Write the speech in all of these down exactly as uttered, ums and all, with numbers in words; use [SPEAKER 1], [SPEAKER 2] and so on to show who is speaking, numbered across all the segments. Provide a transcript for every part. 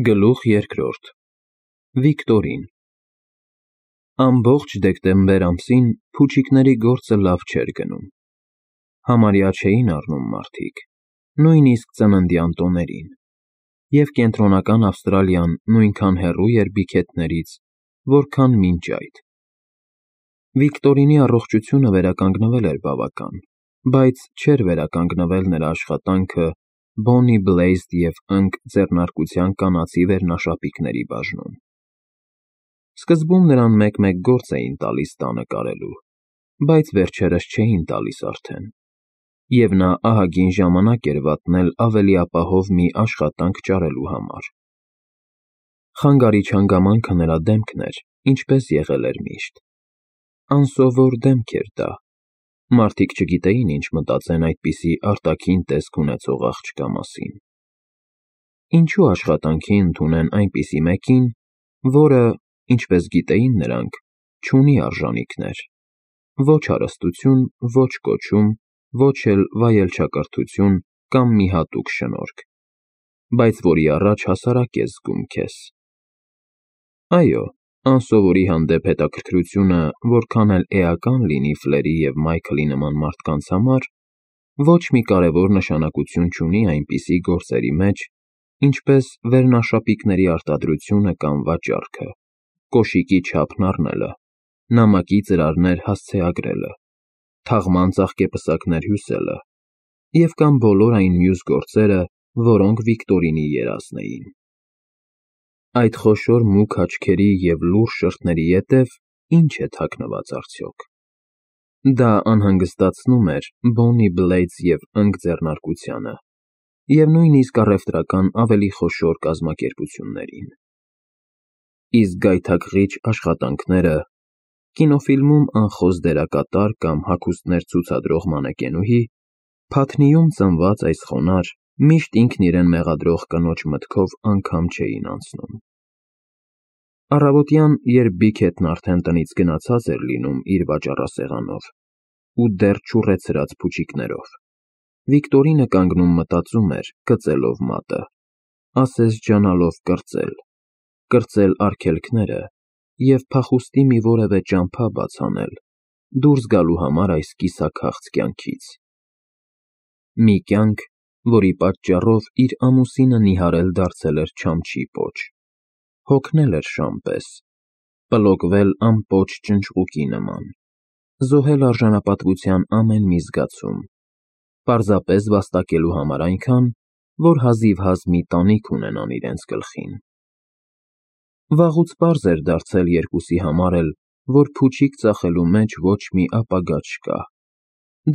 [SPEAKER 1] Գլուխ երկրորդ Վիկտորին Ամբողջ դեկտեմբեր ամսին փուչիկների գործը լավ չէր գնում, համարյա չէին առնում մարդիկ, նույնիսկ ծննդյան տոներին, և կենտրոնական Ավստրալիան նույնքան հեռու էր բիքեթներից, որքան մինչ այդ։ Վիկտորինի առողջությունը վերականգնվել էր բավական, բայց չէր վերականգնվել նրա աշխատանքը Bonnie Blazed և ընկ ձեռնարկության կանացի վերնաշապիկների բաժնում։ Սկզբում նրան մեկ-մեկ գործ էին տալիս տանը կարելու, բայց վերջերս չէին տալիս արդեն, և նա ահագին ժամանակ էր վատնել ավելի ապահով մի աշխատանք ճարելու համար։ Խանգարիչ հանգամանքը նրա դեմքն էր, ինչպես եղել էր միշտ։ Անսովոր դեմք էր դա, մարդիկ չգիտեին ինչ մտածեն այդպիսի արտաքին տեսք ունեցող աղջկա մասին։ Ինչու աշխատանքի ընդունեն այնպիսի մեկին, որը, ինչպես գիտեին նրանք, չունի արժանիքներ, ոչ հարստություն, ոչ կոչում, ոչ էլ վայելչակրթություն կամ մի հատուկ շնորհք, բայց որի առաջ հասարակ ես զգում քեզ։ Այո, անսովորի հանդեպ հետաքրքրությունը որքան էլ էական լինի Ֆլերի և Մայքլի նման մարդկանց համար, ոչ մի կարևոր նշանակություն չունի այնպիսի գործերի մեջ, ինչպես վերնաշապիկների արտադրությունը կամ վաճառքը, կոշիկի չափն առնելը, նամակի ծրարներ հասցեագրելը, թաղման ծաղկեպսակներ հյուսելը և կամ բոլոր այն մյուս գործերը, որոնք Վիկտորինի երազն էին։ Այդ խոշոր մուգ աչքերի և լուռ շրթների ետև ի՞նչ է թաքնված արդյոք։ Դա անհանգստացնում էր Bonnie Blades և ընկ ձեռնարկությանը և նույնիսկ առևտրական ավելի խոշոր կազմակերպություններին։ Իսկ գայթակղիչ աշխատանքները, կինոֆիլմում անխոս դերակատար կամ հագուստներ ցուցադրող մանեկենուհի, Փաթնիում ծնված այս խոնարհ, միշտ ինքն իրեն մեղադրող կնոջ մտքով անգամ չէին անցնում։ Առավոտյան, երբ Բիքեթն արդեն տնից գնացած էր լինում իր վաճառասեղանով ու դեռ չուռեցրած փուչիկներով, Վիկտորինը կանգնում մտածում էր կծելով մատը, ասես ջանալով կրծել, կրծել արգելքները և փախուստի մի որևէ ճամփա բաց անել, դուրս գալու համար այս կիսաքաղց կյանքից։ Մի կյանք, որի պատճառով իր ամուսինը նիհարել դարձել էր չամչի պոչ, հոգնել էր շան պես, պլոկվել անպոչ ճնճղուկի նման, զոհել արժանապատվության ամեն մի զգացում, պարզապես վաստակելու համար այնքան, որ հազիվհազ մի տանիք ունենան իրենց գլխին։ Վաղուց պարզ էր դարձել երկուսի համար էլ, որ փուչիկ ծախելու մեջ ոչ մի ապագա չկա,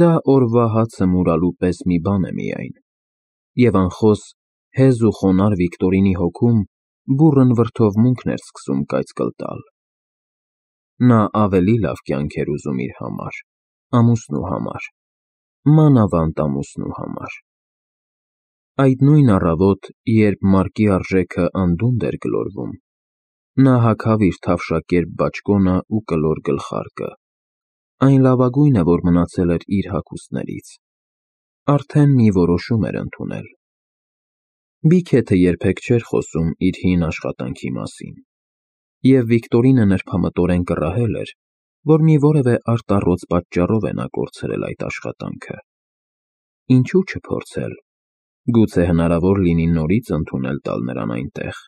[SPEAKER 1] դա օրվա հացը մուրալու պես մի բան է միայն, և անխոս հեզ ու խոնարհ Վիկտորինի հոգում բուռն վրդովմունքն էր սկսում կայծկլ տալ։ Նա ավելի լավ կյանք էր ուզում իր համար, ամուսնու համար, մանավանդ ամուսնու համար։ Այդ նույն առավոտ, երբ մարկի արժեքը անդունդն էր գլորվում, նա հագավ իր թավշակերպ բաճկոնը ու կլոր գլխարկը, այն լավագույնը, որ մնացել էր իր հագուստներից, արդեն մի որոշում էր ընդունել։ Բիքեթը երբեք չէր խոսում իր հին աշխատանքի մասին, և Վիկտորինը նրբամտորեն կռահել էր, որ մի որևէ արտառոց պատճառով է նա կորցրել այդ աշխատանքը։ Ինչու չփորձել, գուցե հնարավոր լինի նորից ընդունել տալ նրան այնտեղ։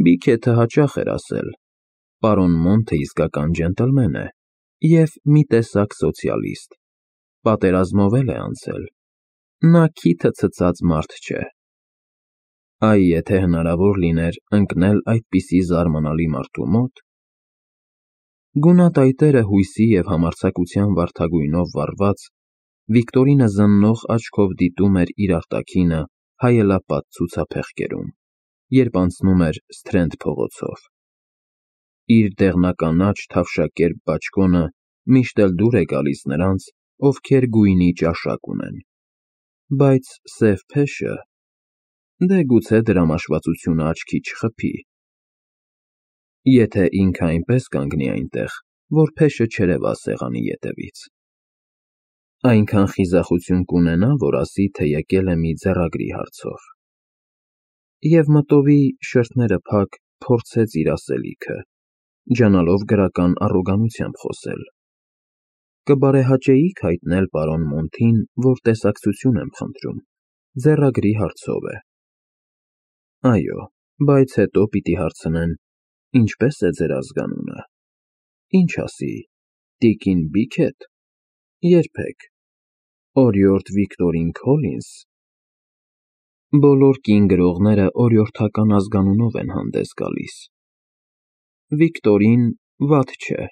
[SPEAKER 1] Բիքեթը հաճախ էր ասել. պարոն Մոնթը իսկական ջենտլմեն է և մի տեսակ սոցիալիստ, պատերազմով էլ է անցել, նա քիթը ցցած մարդ չէ։ Այ եթե հնարավոր լիներ ընկնել այդպիսի զարմանալի մարդու մոտ… Գունատայտերը հույսի և համարձակության վարդագույնով վառված, Վիկտորինը զննող աչքով դիտում էր իր արտաքինը հայելապատ ցուցափեղկերում, երբ անցնում էր Սթրենդ փողոցով։ Իր դեղնականաչ թավշակերպ բաճկոնը միշտ էլ դուր է գալիս նրանց, ովքեր գույնի ճաշակ ունեն, բայց սև փեշը… դե գուցե դրամաշվածությունը աչքի չխփի։ Եթե ինքը այնպես կանգնի այնտեղ, որ փեշը չերևա սեղանի ետևից… Այնքան խիզախություն կունենա, որ ասի, թե եկել է մի ձեռագրի հարցով։ և մտովի շրթները փակ փորձեց իր ասելիքը, ջանալով գրական առոգանությամբ խոսել. «Կբարեհաճեի՞ք հայտնել պարոն Մոնթին, որ տեսակցություն եմ խնդրում, ձեռագրի հարցով է»։ «Այո, բայց հետո պիտի հարցնեն, ինչպե՞ս է ձեր ազգանունը, ինչ ասի, տիկին Բիքե՞թ, երբեք, օրիորդ Վիկտորին Քոլինս»։ Բոլոր կին գրողները օրիորդական ազգանունով են հանդես գալիս։ Վիկտորին վատ չէ,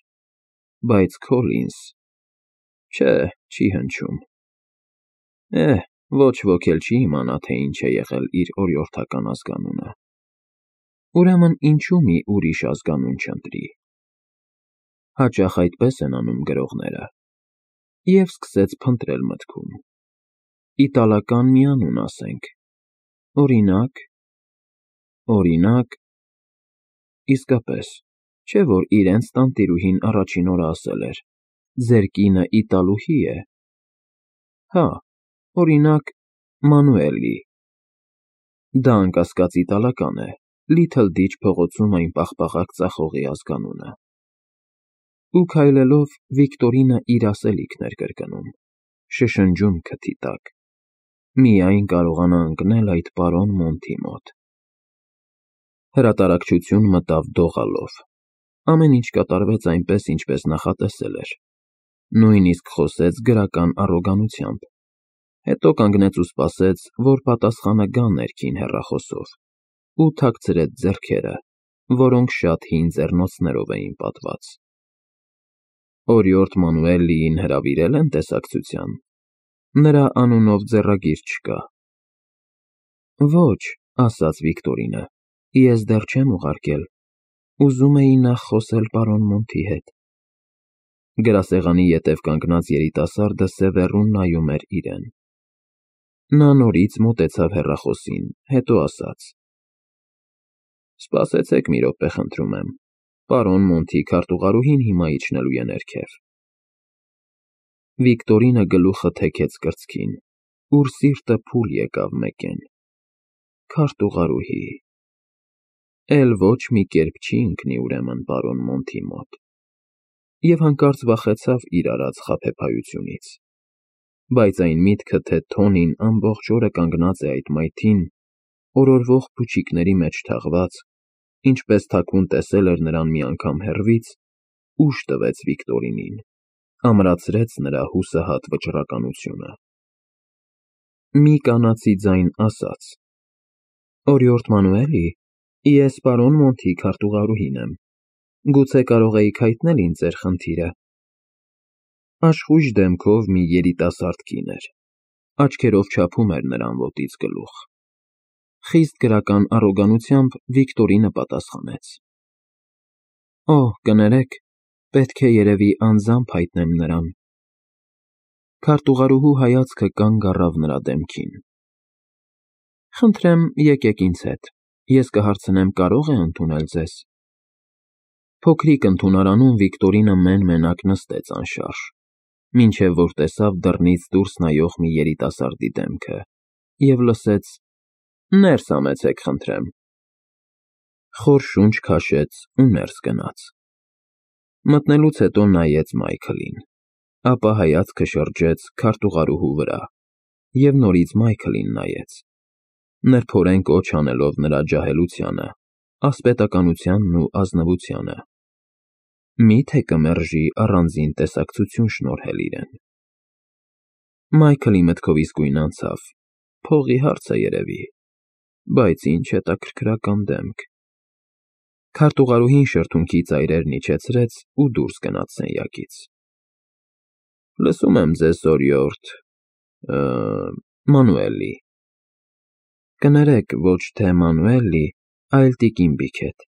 [SPEAKER 1] բայց Քոլինս… Չէ, չի հնչում։ Էհ, ոչ ոք էլ չի իմանա, թե ինչ է եղել իր օրիորդական ազգանունը։ Ուրեմն ինչու մի ուրիշ ազգանուն չընտրի։ Հաճախ այդպես են անում գրողները։ Եվ սկսեց փնտրել մտքում. Իտալական մի անուն ասենք, օրինակ, օրինակ… Իսկապես, չէ՞ որ իրենց տանտիրուհին առաջին օրը ասել էր. «Ձեր կինը իտալուհի է»։ Հա, օրինակ, Մանուելի։ Դա անկասկած իտալական է, Լիթլ Դիչ փողոցում այն պաղպաղակ ծախողի ազգանունը։ Ու քայլելով Վիկտորինը իր ասելիքն էր կրկնում, շշնջում քթի տակ. «Միայն կարողանա ընկնել այդ պարոն Մոնթի մոտ»։ Հրատարակչություն մտավ դողալով։ Ամեն ինչ կատարվեց այնպես, ինչպես նախատեսել էր։ Նույնիսկ խոսեց գրական առոգանությամբ։ Հետո կանգնեց ու սպասեց, որ պատասխանը գա ներքին հեռախոսով, ու թաքցրեց ձեռքերը, որոնք շատ հին ձեռնոցներով էին պատված։ Օրիորդ Մանուելիին հրավիրե՞լ են տեսակցության։ Նրա անունով ձեռագիր չկա։ Ոչ, ասաց Վիկտորինը, ես դեռ չեմ ուղարկել, ուզում էի նախ խոսել պարոն Մոնթի հետ։ Գրասեղանի ետև կանգնած երիտասարդը սևեռուն նայում էր իրեն։ Նա նորից մոտեցավ հեռախոսին, հետո ասաց. Սպասեցեք մի րոպե, խնդրում եմ, պարոն Մոնթի քարտուղարուհին հիմա իջնելու է ներքև։ Վիկտորինը գլուխը թեքեց կրծքին, ուր սիրտը փուլ եկավ մեկեն։ Քարտուղարուհի… Էլ ոչ մի կերպ չի ընկնի ուրեմն պարոն Մոնթի մոտ։ Եվ հանկարծ վախեցավ իր արած խաբեբայությունից։ Բայց այն միտքը, թե Թոնին ամբողջ օրը կանգնած է այդ մայթին, օրորվող փուչիկների մեջ թաղված, ինչպես թաքուն տեսել էր նրան մի անգամ հեռվից, ուժ տվեց Վիկտորինին, ամրացրեց նրա հուսահատ վճռականությունը։ Մի կանացի ձայն ասաց. Օրիորդ Մանուելի, ես պարոն Մոնթի քարտուղարուհին եմ, գուցե կարող էիք հայտնել ինձ ձեր խնդիրը։ Աշխույժ դեմքով մի երիտասարդ կին էր, աչքերով չափում էր նրան ոտից գլուխ։ Խիստ գրական առոգանությամբ Վիկտորինը պատասխանեց. Օ, կներեք, պետք է երևի անձամբ հայտնեմ նրան։ Քարտուղարուհու հայացքը կանգ առավ նրա դեմքին։ Խնդրեմ, եկեք ինձ հետ, ես կհարցնեմ կարո՞ղ է ընդունել ձեզ։ Փոքրիկ ընդունարանում Վիկտորինը մեն֊մենակ նստեց անշարժ, մինչև որ տեսավ դռնից դուրս նայող մի երիտասարդի դեմքը և լսեց. Ներս համեցեք, խնդրեմ։ Խոր շունչ քաշեց ու ներս գնաց։ Մտնելուց հետո նայեց Մայքլին, ապա հայացքը շրջեց քարտուղարուհու վրա և նորից Մայքլին նայեց, նրբորեն կոչ անելով նրա ջահելությանը, ասպետականությանն ու ազնվությանը։ Մի՞թե կմերժի առանձին տեսակցություն շնորհել իրեն։ Մայքլի մտքով իսկույն անցավ. փողի հարց է երևի, բայց ինչ հետաքրքրական դեմք։ Քարտուղարուհին շրթունքի ծայրերն իջեցրեց ու դուրս գնաց սենյակից։ Լսում եմ ձեզ, օրիորդ… Մանուելի։ Կներեք, ոչ թե Մանուելի, այլ տիկին Բիքեթ։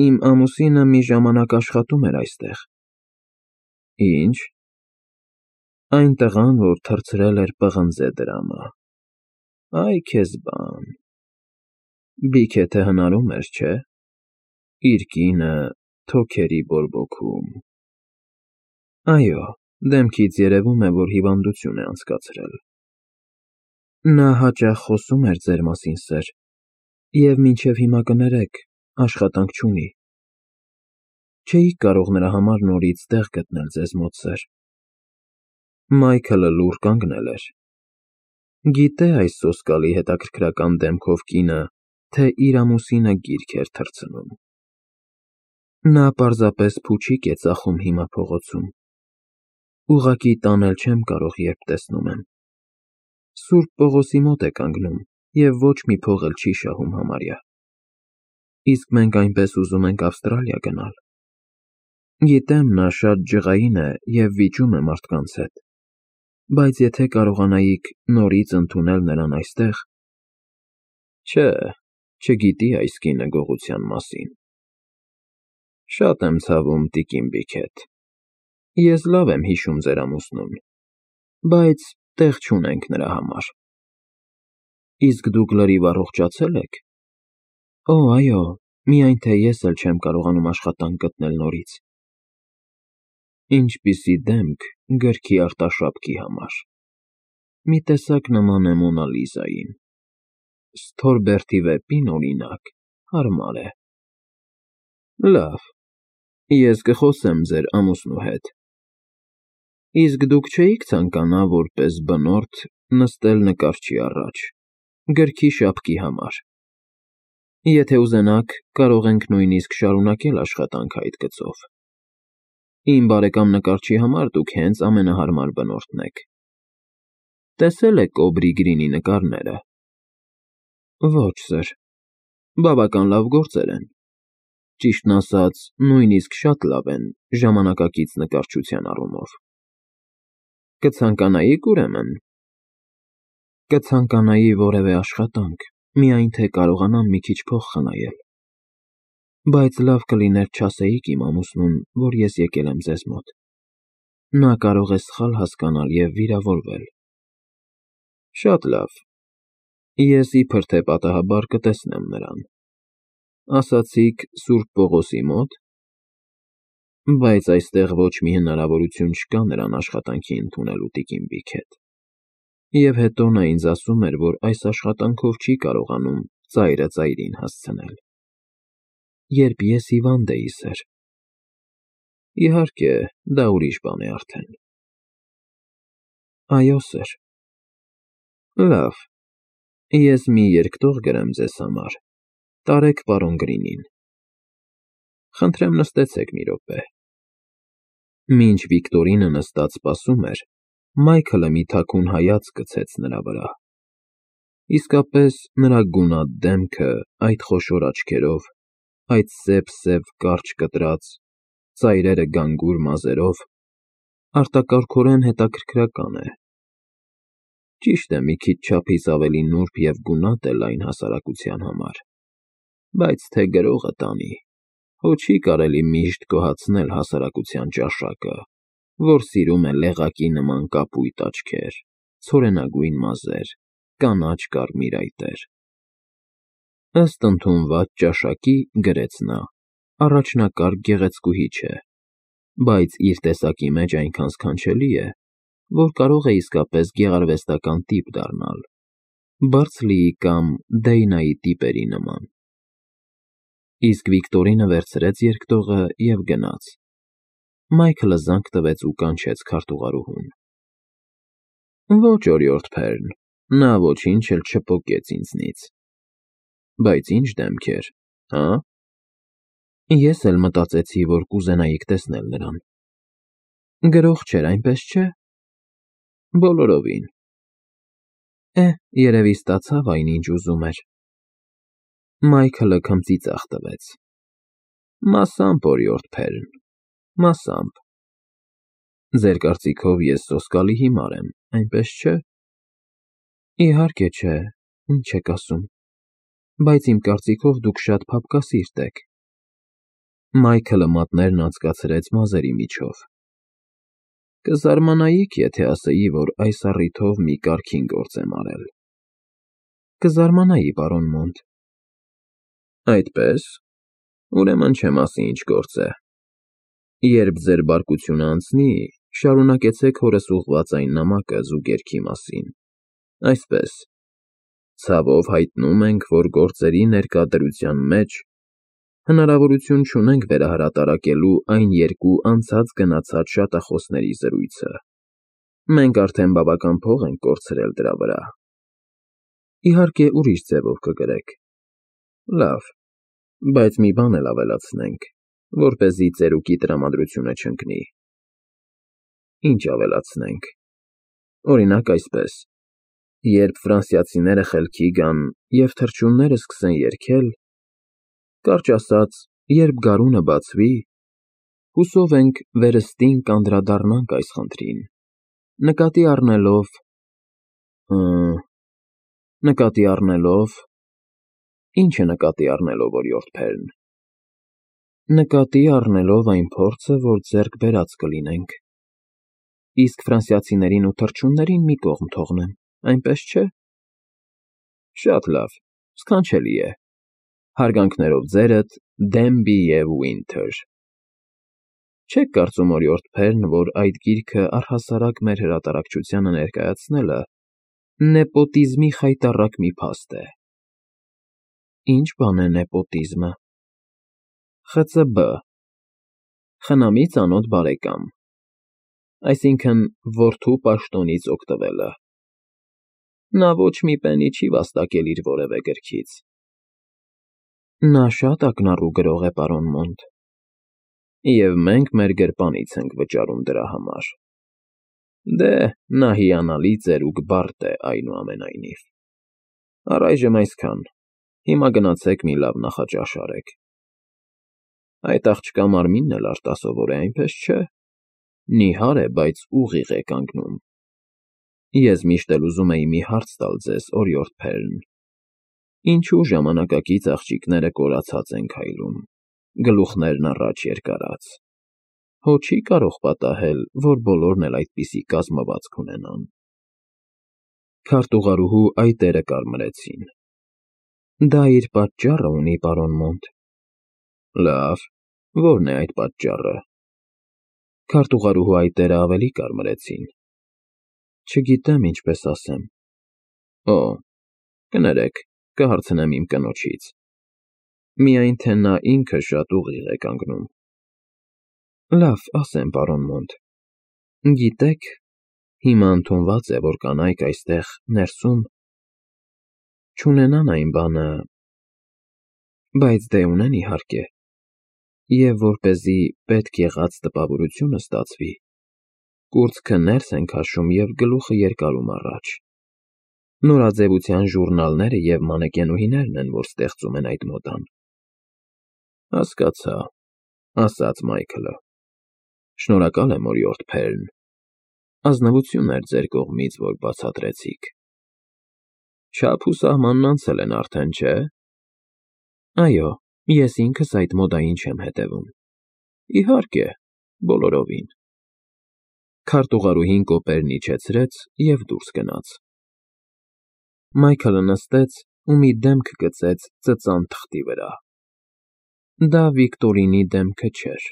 [SPEAKER 1] Իմ ամուսինը մի ժամանակ աշխատում էր այստեղ։ Ինչ։ Այն տղան, որ թռցրել էր պղնձե դրամը։ Այ քեզ բան… Բիքեթը հնարում էր, չէ՞։ Իր կինը թոքերի բորբոքում… Այո, դեմքից երևում է, որ հիվանդություն է անցկացրել։ Նա հաճախ խոսում էր ձեր մասին, սըր, Եվ մինչև հիմա կներեք, աշխատանք չունի։ Չէիք կարող նրա համար նորից տեղ գտնել ձեզ մոտ, սեր։ Մայքլը լուռ կանգնել էր։ Գիտե այս սոսկալի հետաքրքրական դեմքով կինը, թե իր ամուսինը գիրք էր թռցնում։ Նա պարզապես փուչիկ է ծախում հիմա փողոցում։ Ուղղակի տանել չեմ կարող, երբ տեսնում եմ։ Սուրբ Պողոսի մոտ է կանգնում և ոչ մի փող էլ չի շահում համարյա։ Իսկ մենք այնպես ուզում ենք Ավստրալիա գնալ։ Գիտեմ, նա շատ ջղային է և վիճում է մարդկանց հետ, բայց եթե կարողանայիք նորից ընդունել նրան այստեղ… Չէ, չգիտի այս կինը գողության մասին։ Շատ եմ ցավում, տիկին Բիքեթ, ես լավ եմ հիշում ձեր ամուսնուն, բայց տեղ չունենք նրա համար։ Իսկ դուք լրիվ առողջացե՞լ եք։ Օ, այո, միայն թե ես էլ չեմ կարողանում աշխատանք գտնել նորից։ Ինչպիսի դեմք գրքի արտաշապքի համար։ Մի տեսակ նման է Մոնա Լիզային։ Սթորբերթի վեպին, օրինակ, հարմար է։ Լավ, ես կխոսեմ ձեր ամուսնու հետ։ Իսկ դուք չէիք ցանկանա որպես բնորդ նստել նկարչի առաջ, գրքի շապքի համար։ Եթե ուզենաք, կարող ենք նույնիսկ շարունակել աշխատանքը այդ գծով։ Իմ բարեկամ նկարչի համար դուք հենց ամենահարմար բնորդն եք։ Տեսե՞լ եք Օբրի Գրինի նկարները։ Ոչ, սըր, բավական լավ գործեր են։ Ճիշտն ասած, նույնիսկ շատ լավ են ժամանակակից նկարչության առումով։ Կցանկանայի՞ք, ուրեմն։ Կցանկանայի որևէ աշխատանք, միայն թե կարողանամ մի քիչ փող խնայել։ Բայց լավ կլիներ չասեիք իմ ամուսնուն, որ ես եկել եմ ձեզ մոտ։ Նա կարող է սխալ հասկանալ և վիրավորվել։ Շատ լավ, ես իբր թե պատահաբար կտեսնեմ նրան։ Ասացիք Սուրբ Պողոսի մոտ։ Բայց այստեղ ոչ մի հնարավորություն չկա նրան աշխատանքի ընդունելու, տիկին Բիքեթ։ Եվ հետո նա ինձ ասում էր, որ այս աշխատանքով չի կարողանում ծայրը ծայրին հասցնել։ Երբ ես հիվանդ էի, սըր։ Իհարկե, դա ուրիշ բան է արդեն։ Այո, սըր։ Լավ, ես մի երկտող գրեմ ձեզ համար, տարեք պարոն Գրինին։ Խնդրեմ նստեցեք մի րոպե։ Մինչ Վիկտորինը նստած սպասում էր, Մայքլը մի թաքուն հայացք գցեց նրա վրա։ Իսկապես, նրա գունատ դեմքը, այդ խոշոր աչքերով, այդ սև-սև կարճ կտրած, ծայրերը գանգուր մազերով, արտակարգորեն հետաքրքրական է։ Ճիշտ է, մի քիչ չափից ավելի նուրբ և գունատ է լայն հասարակության համար, բայց թե գրողը տանի, հո չի կարելի միշտ գոհացնել հասարակության ճաշակը, որ սիրում է լեղակի նման կապույտ աչքեր, ցորենագույն մազեր, կանաչ կարմիր այտեր։ Ըստ ընդունված ճաշակի, գրեց նա, առաջնակարգ գեղեցկուհի չէ, բայց իր տեսակի մեջ այնքան սքանչելի է, որ կարող է իսկապես գեղարվեստական տիպ դառնալ, Բարձլիի կամ Դեյնայի տիպերի նման։ Իսկ Վիկտորինը վերցրեց երկտողը և գնաց։ Մայքլը զանգ տվեց ու կանչեց քարտուղարուհուն։ Ոչ, օրիորդ Փերն, նա ոչինչ էլ չպոկեց ինձնից։ Բայց ինչ դեմքեր, հա՞։ Ես էլ մտածեցի, որ կուզենայիք տեսնել նրան։ Գրող չէր, այնպես չէ։ Բոլորովին։ Է, երևի ստացավ այն, ինչ ուզում էր։ Մայքլը քմծի ծախ տվեց։ Մասամբ, օրիորդ Փերն, մասամբ։ Ձեր կարծիքով ես սոսկալի հիմար եմ, այնպես չէ։ Իհարկե չէ, ինչ եք ասում, բայց իմ կարծիքով դուք շատ փափկասիրտ եք։ Մայքլը մատներն անցկացրեց մազերի միջով։ Կզարմանայիք, եթե ասեի, որ այս առիթով մի կարգին գործ եմ արել։ Կզարմանայի, պարոն Մոնտ։ Այդպե՞ս, ուրեմն չեմ ասի ինչ գործ է։ Երբ ձեր բարկությունը անցնի, շարունակեցեք հորս ուղղված այն նամակը զուգերքի մասին, այսպես, Ցավով հայտնում ենք, որ գործերի ներկա մեջ հնարավորություն չունենք վերահրատարակելու այն երկու անցած֊գնացած շատախոսների զրույցը։ Մենք արդեն բավական փող ենք կորցրել դրա վրա։ Իհարկե, ուրիշ ձևով կգրեք։ Լավ, բայց մի բան էլ ավելացնենք, որպեսզի ծերուկի տրամադրությունը չընկնի։ Ինչ ավելացնենք։ Օրինակ այսպես. երբ ֆրանսիացիները խելքի գան և թռչունները սկսեն երգել, կարճ ասած, երբ գարունը բացվի, հուսով ենք վերստին կանդրադառնանք այս խնդրին, նկատի առնելով… նկատի առնելով… Ի՞նչը նկատի առնելով, օրիորդ Փերն… Նկատի առնելով այն փորձը, որ ձեռք բերած կլինենք, իսկ ֆրանսիացիներին ու թռչուններին մի կողմ թողնեմ, այնպես չէ՞։ Շատ լավ, սքանչելի է։ Հարգանքներով ձերդ, Դենբի և Վինթեր։ Չե՞ք կարծում, օրիորդ Փերն, որ այդ գիրքը առհասարակ մեր հրատարակչությանը ներկայացնելը նեպոտիզմի խայտառակ մի փաստ է։ Ի՞նչ բան է նեպոտիզմը։ Խծբ. խնամի ծանոթ բարեկամ, այսինքն՝ որդու պաշտոնից օգտվելը։ Նա ոչ մի պենի չի վաստակել իր որևէ գրքից։ Նա շատ ակնառու գրող է, պարոն Մոնտ։ Եվ մենք մեր գրպանից ենք վճարում դրա համար։ Դե, նա հիանալի ծերուկ բարդ է, այնուամենայնիվ։ Առայժմ այսքան, հիմա գնացեք մի լավ նախաճաշ արեք։ Այդ աղջկա մարմինն էլ արտասովոր է, այնպես չէ՞։ Նիհար է, բայց ուղիղ է կանգնում։ Ես միշտ էլ ուզում էի մի հարց տալ ձեզ, օրիորդ Փերն. ինչու ժամանակակից աղջիկները կորացած են քայլում, գլուխներն առաջ երկարած։ Հո չի՞ կարող պատահել, որ բոլորն էլ այդպիսի կազմվածք ունենան։ Քարտուղարուհու այտերը կարմրեցին։ Դա իր պատճառը ունի, պարոն Մոնտ։ Լավ, ո՞րն է այդ պատճառը։ Քարտուղարուհու այտերը ավելի կարմրեցին։ Չգիտեմ ինչպես ասեմ։ Օ, կներեք, կհարցնեմ իմ կնոջից։ Միայն թե նա ինքը շատ ուղիղ է կանգնում։ Լավ, ասեմ, պարոն Մոնտ։ Գիտեք, հիմա ընդունված է, որ կանայք այստեղ, ներսում, չունենան այն բանը… Բայց դե ունեն, իհարկե։ Եվ որպեսզի պետք եղած տպավորությունը ստացվի, կուրծքը ներս են քաշում և գլուխը երկարում առաջ։ Նորաձևության ժուռնալները և մանեկենուհիներն են, որ ստեղծում են այդ մոդան։ Հասկացա, ասաց Մայքլը։ Շնորհակալ եմ, օրիորդ Փերն։ Ազնվություն էր ձեր կողմից, որ բացատրեցիք։ Չափ ու սահմանն անցել են արդեն, չէ՞։ Այո, ես ինքս այդ մոդային չեմ հետևում։ Իհարկե, բոլորովին։ Քարտուղարուհին կոպերն իջեցրեց և դուրս գնաց։ Մայքլը նստեց ու մի դեմք գծեց ծծան թղթի վրա։ Դա Վիկտորինի դեմքը չէր։